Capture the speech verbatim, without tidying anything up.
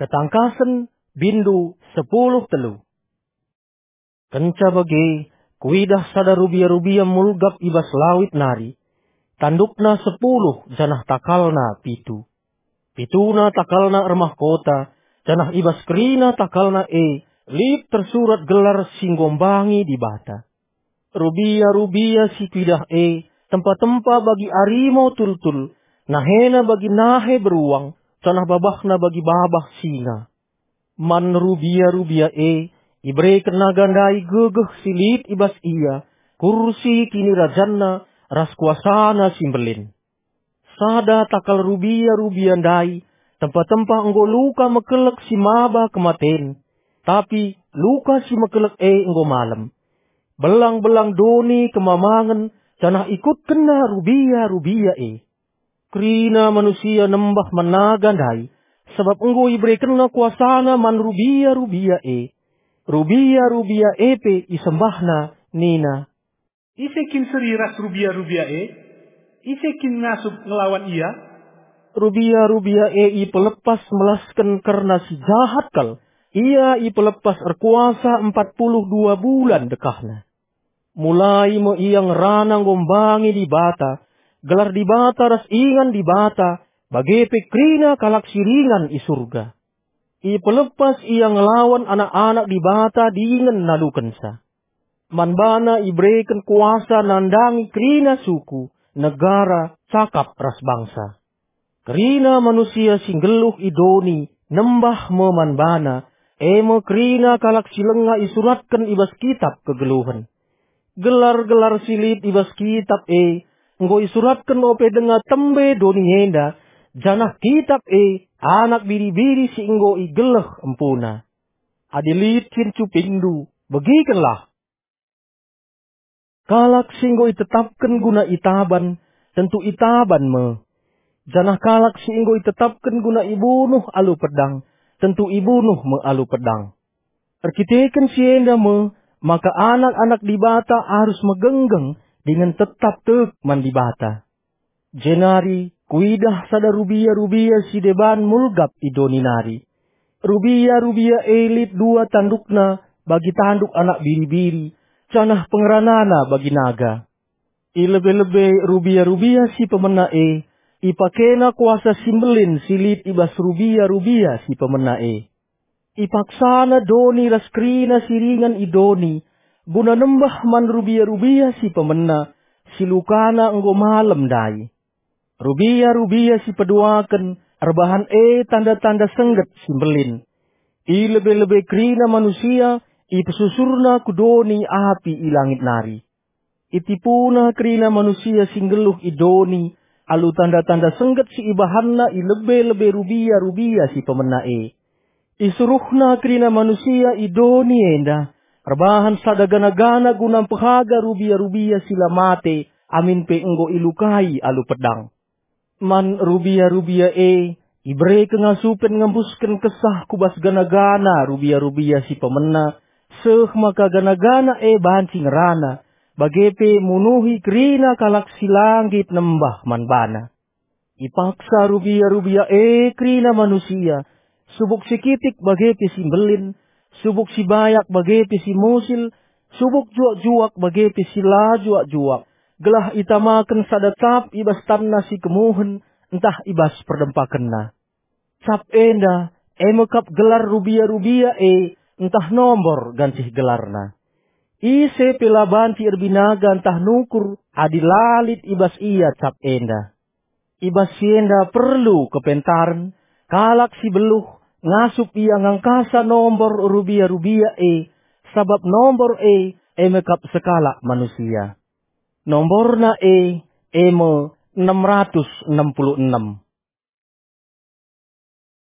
Ketangkasen, bindu sepuluh telu. Kenca bage, kuidah sada rubia-rubia mulgap i bas lawit nari. Tandukna sepuluh janah takalna pitu. Pituna takalna ermahkota, janah i bas kerina takalna e lit tersurat gelar si nggombangi Dibata. Rubia-rubia si kuidah e tempa-tempa bagi arimo tultul, nahena bagi nahe beruang, janah babahna bagi babah singa. Man rubia-rubia e ibereken naga ndai gegeh si lit i bas ia, kursi kinirajanna ras kuasana si mbelin. Sada takal rubia-rubia ndai tempa-tempa enggo luka mekelek si maba kematen, tapi luka si mekelek e enggo malem. Belang-belang doni kemamangen janah ikutkenna rubia-rubia e. Kerina manusia nembah man naga ndai, sabap enggo iberekenna kuasana man rubia-rubia e. Rubia-rubia e pe isembahna, nina, "Ise kin seri ras rubia-rubia e? Ise kin ngasup ngelawan ia?" Rubia-rubia e ipelepas melasken kerna si jahat kal. Ia ipelepas erkuasa empat puluh dua bulan dekahna. Mulai me ia ngerana nggombangi Dibata, gelar Dibata ras ingan Dibata, bage pe kerina kalak si ringan i Surga. Ipelepas ia ngelawan anak-anak Dibata dingen nalukenca. Man bana ibereken kuasa nandangi kerina suku, negara, cakap ras bangsa. Kerina manusia si nggeluh i doni nembah me man bana, e me kerina kalak si langa isuratken i bas kitap kegeluhen. Gelar-gelar si lit i bas kitap e enggo isuratken ope denga tembe doni enda, janah kitap e anak biri-biri si enggo igeleh empuna. Adi lit kin cupingndu, begikenlah. Kalak si enggo itetapken guna itaban, tentu itaban me. Janah kalak si enggo itetapken guna ibunuh alu pedang, tentu ibunuh me alu pedang. Erkiteken si enda me, maka anak-anak Dibata arus megenggeng dingen tetap tek man Dibata. Jenari kuidah sada rubia-rubia si deban mulgap i doni nari. Rubia-rubia e lit dua tandukna bagi tanduk anak biri-biri, janah pengeranana bagi naga. I lebe-lebe rubia-rubia si pemena e, ipakena kuasa si mbelin si lit i bas rubia-rubia si pemena e. Ipaksana doni ras kerina si ringan i doni, guna nembah man rubia-rubia si pemena, si lukana enggo malem ndai. Rubia-rubia si peduaken erbahan e tanda-tanda sengget si mbelin. I lebe-lebe kerina manusia ipesusurna ku doni api i langit nari. Itipuna kerina manusia si nggeluh i doni alu tanda-tanda sengget si ibahanna i lebe-lebe rubia-rubia si pemena e. Isuruhna kerina manusia i doni enda erbahan sada gana-gana guna mpehaga rubia-rubia si la mate amin pe enggo ilukai alu pedang. Man rubia-rubia e ibere kengasupen ngembusken kesah ku bas gana-gana rubia-rubia si pemena, seh maka gana-gana e banci ngerana, bage pe munuhi kerina kalak si la nggit nembah man bana. Ipaksa rubia-rubia e kerina manusia, subuk si kitik bage pe si mbelin, subuk si bayak bage pe si musil, subuk juak-juak bage pe si la juak-juak, gelah itamaken sada cap i bas tanna si kemuhen ntah i bas perdempakenna. Cap enda e me kap gelar rubia-rubia e ntah nombor gancih gelarna. Ise pe la banci erbinaga ntah nukur adi la lit i bas ia cap enda. I bas si enda perlu kepentaren, kalak si beluh ngasup ia ngangkasa nombor rubia-rubia e, sabap nombor e, e me kap sekalak manusia. Nomborna e, e me enam ratus enam puluh enam.